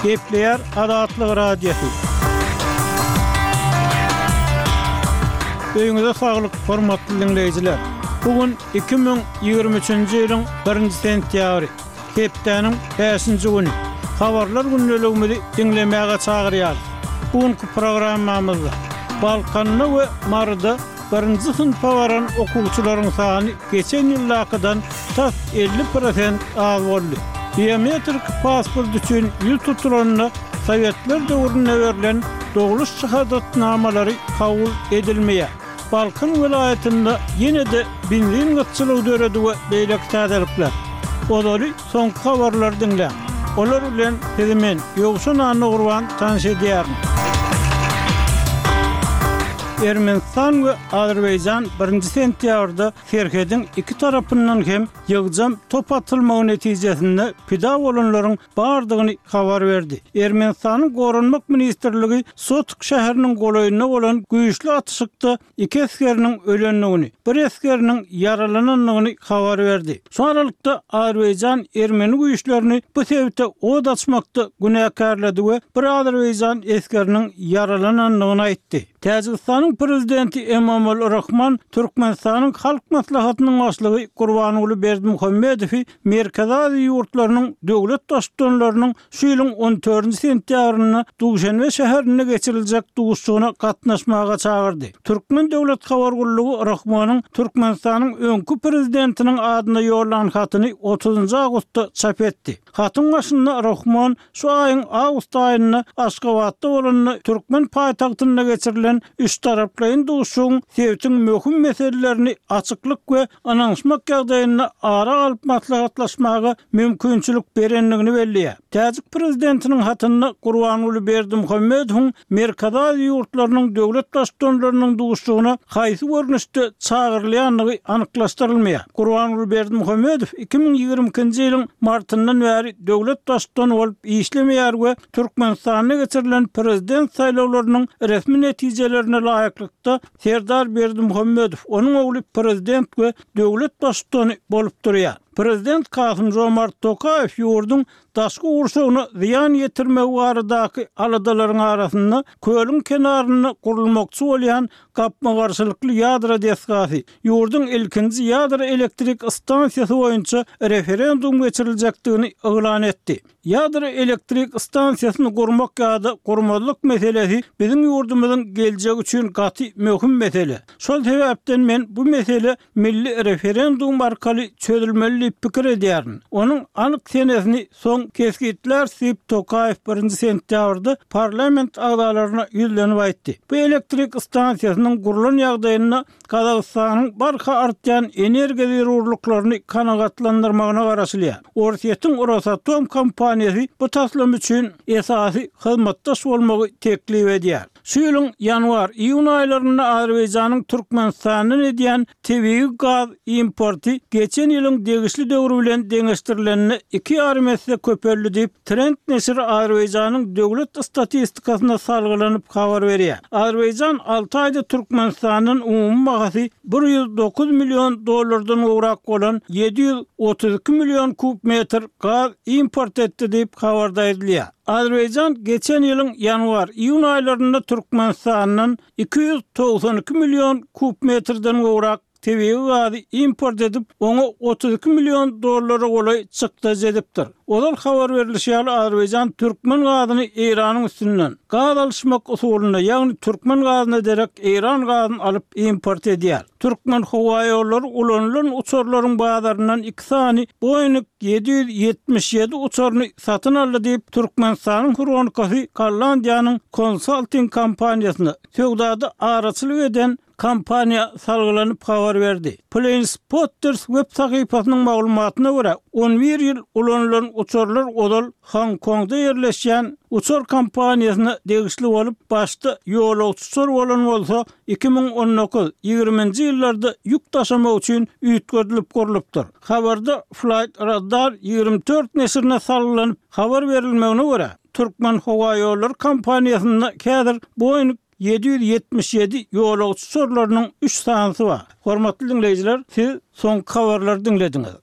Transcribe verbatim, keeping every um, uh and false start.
Gepleýär Azatlyk Radiosy. Öýüňize saglyk, hormatly diňleýjiler! Bu gün iki müň ýigrimi üçünji ýylyň birinji sentýabry, hepdäniň bäşinji güni. Habarlar gündeligimizi diňlemäge çagyrýarys. Bu günki programmamyzda Balkanda we Maryda birinji synpa baran okuwçylaryň sany geçen ýyldakydan tas elli prosent az boldy. Biometrik pasport üçin ýüz tutulanda sowetler döwründe berlen dogluş şahadatnamalary kabul edilmeýär. Balkan welaýatynda ýene-de benzin gytçylygy döredi we beýleki täzelikler. Ozaly soňky habarlary diňläň. Olar bilen sizi men, Ýowşan Annagurban tanyş edýärin. Ermenistan we Azerbaýjan birinji sentýabrda serhediň iki tarapyndan hem ýygjam top atylmagy netijesinde pida bolanlaryň bardygyny habar berdi. Ermenistanyň Goranmak ministrligi Sotk şäheriniň golaýynda bolan güýçli atyşykda iki esgeriniň ölendigini, bir esgeriniň ýaralanandygyny habar berdi. Şu aralykda, Azerbaýjan ermeni güýçlerini bu sebite od açmakda günäkärledi we bir azerbaýjan esgeriniň ýaralanandygyny aýtdy. Täjigistanyň Prezidenti Emomali Rahmon Türkmenistanyň Halk Maslahatynyň Başlygy Gurbanguly Berdimuhamedowy Merkezi Aziýa ýurtlarynyň döwlet Baştutanlarynyň şu ýylyň on dördünji sentýabrynda Duşenbe şäherinde geçiriljek duşuşygyna gatnaşmaga çagyrdy. Türkmen döwlet habar gullugy Rahmonyň Türkmenistanyň öňki Prezidentiniň adyna ýollan hatyny otuzynjy awgustda çap etdi. Hatyň başynda Rahmon şu aýyň awgust aýynda Aşgabatda bolanda türkmen paýtagtynda geçirilen üçtaraplaýyn duşuşygyň sebitiň möhüm meselelerini açyklyk we ynanyşmak ýagdaýynda ara alyp maslahatlaşmaga mümkinçilik berendigini belleýär. Täjik prezidentiniň hatynda Gurbanguly Berdimuhamedowyň Merkezi Aziýa ýurtlarynyň döwlet Baştutanlarynyň duşuşygyna haýsy görnüşde çagyrylýandygy anyklaşdyrylmaýar. Gurbanguly Berdimuhamedow iki müň ýigrimi ikinji ýylyň martyndan bäri döwlet Baştutany bolup işlemeýär we Türkmenistanda geçirilen prezident saýlawlarynyň resmi netijelerine laýyklykda, Serdar Berdimuhamedow, onuň ogly prezident we döwlet Baştutany bolup durýar. Prezident Kasym-Žomart Tokaýew ýurduň daşky gurşawyna zyýan ýetirmegi baradaky aladalaryň arasynda kölüň kenarynda gurulmakçy bolýan gapma-garşylykly ýadro desgasy, ýurduň ilkinji ýadro elektrik stansiýasy boýunça referendum geçiriljekdigini yglan etdi. Ýadro elektrik stansiýasyny gurmak ýa-da gurmazlyk meselesi biziň ýurdumyzyň geljegi üçin gaty möhüm mesele. Şol sebäpden men bu mesele milli referendum arkaly çözülmeli diýip pikir edýärin. Onuň anyk senesini soň kesgitläris diýip, Tokaýew birinji sentýabrda parlament agzalaryna ýüzlenip aýtdy. Bu elektrik stansiýasynyň gurlan ýagdaýynda Gazagystanyň barha artýan energiýa zerurlyklaryny kanagatlandyrmagyna garaşylýar. Orsýetiň Rosatom kompaniýasy bu taslama üçin esasy hyzmatdaş bolmagy teklip edýär. Şu ýylyň ýanwar, iýun aýlarynda Azerbaýjanyň Türkmenistandan edýän tebigy gaz importy geçen ýylyň degişli döwri bilen deňeşdirilende iki ýarym esse köpeldi diýip, Trend neşiri Azerbaýjanyň döwlet statistikasyna salgylanyp habar berýär. Azerbaýjan alty aýda Türkmenistandan umumy bahasy bir ýüz dokuz million dollardan gowrak bolan ýedi ýüz otuz iki million kub metr gaz import etdi diýip, habarda aýdylýar. Azerbaýjan geçen ýylyň ýanwar, iýun aýlarynda Türkmenistandan iki ýüz togsan iki million kub metrden gowrak tebigy gazy import edip, oňa otuz iki million dollara golaý çykdajy edipdir. Ozal habar berlişi ýaly, Azerbaýjan türkmen gazyny Eýranyň üstünden, gaz alyşmak usulynda, ýagny türkmen gazyna derek eýran gazyny alyp import edýär. Türkmenhowaýollary ulanylan uçarlaryň bazaryndan iki sany Boeing ýedi ýüz ýetmiş ýedi uçaryny satyn aldy diýip, Türkmenistanyň Hronikasy Gollandiýanyň konsalting kompaniýasyna, söwdada araçylyk eden kompaniýa salgylanyp habar berdi. Planespotters web sahypasynyň maglumatyna görä, on bir ýyl ulanylan uçarlar ozal Honkongda ýerleşýän uçar kompaniýasyna degişli bolup, başda ýolagçy uçar bolan bolsa, iki müň on dokuz, ýigriminji ýyllarda ýük daşamak üçin üýtgedilip gurlupdyr. Habarda Flightradar ýigrimi dört neşirine salgylanyp habar berilmegine görä, Türkmenhowaýollary kompaniýasynda häzir Boeing ýedi ýüz ýetmiş ýedi ýolagçy uçarlarynyň üç sanysy bar. Hormatly diňleýjiler, siz soňky habarlary diňlediňiz.